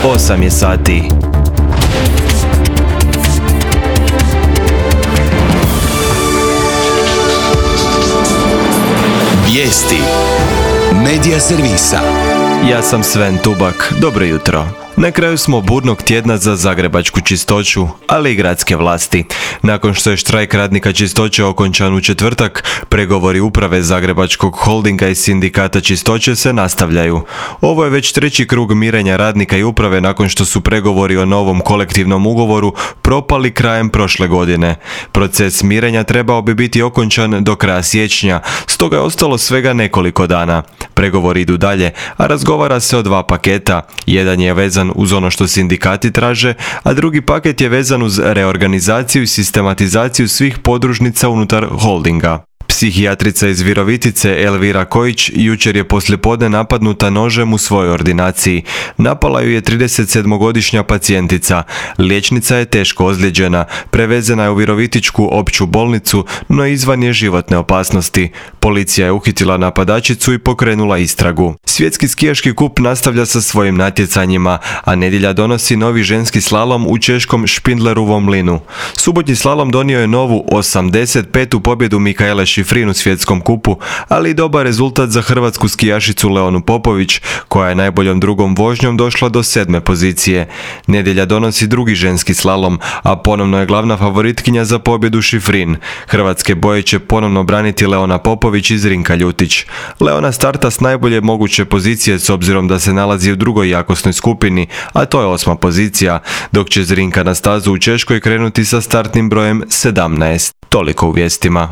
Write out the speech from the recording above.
8 je sati. Vijesti Medija servisa. Ja sam Sven Tubak, dobro jutro. Na kraju smo burnog tjedna za zagrebačku čistoću, ali i gradske vlasti. Nakon što je štrajk radnika čistoće okončan u četvrtak, pregovori uprave Zagrebačkog holdinga i sindikata čistoće se nastavljaju. Ovo je već treći krug mirenja radnika i uprave nakon što su pregovori o novom kolektivnom ugovoru propali krajem prošle godine. Proces mirenja trebao bi biti okončan do kraja siječnja, stoga je ostalo svega nekoliko dana. Pregovori idu dalje, a razgovara se o dva paketa. Jedan je vezan uz ono što sindikati traže, a drugi paket je vezan uz reorganizaciju i sistematizaciju svih podružnica unutar holdinga. Psihijatrica iz Virovitice Elvira Kojić jučer je poslijepodne napadnuta nožem u svojoj ordinaciji. Napala ju je 37-godišnja pacijentica. Liječnica je teško ozlijeđena, prevezena je u Virovitičku opću bolnicu, no izvan je životne opasnosti. Policija je uhitila napadačicu i pokrenula istragu. Svjetski skijaški kup nastavlja sa svojim natjecanjima, a nedjelja donosi novi ženski slalom u češkom Špindlerovom mlinu. Subotnji slalom donio je novu 85. pobjedu Mikaele Šifrin u svjetskom kupu, ali i dobar rezultat za hrvatsku skijašicu Leonu Popović, koja je najboljom drugom vožnjom došla do 7. pozicije. Nedjelja donosi drugi ženski slalom, a ponovno je glavna favoritkinja za pobjedu Šifrin. Hrvatske boje će ponovno braniti Leona Popović i Zrinka Ljutić. Leona starta s najbolje moguće pozicije s obzirom da se nalazi u drugoj jakosnoj skupini, a to je 8. pozicija, dok će Zrinka na stazu u Češkoj krenuti sa startnim brojem 17. Toliko u vijestima.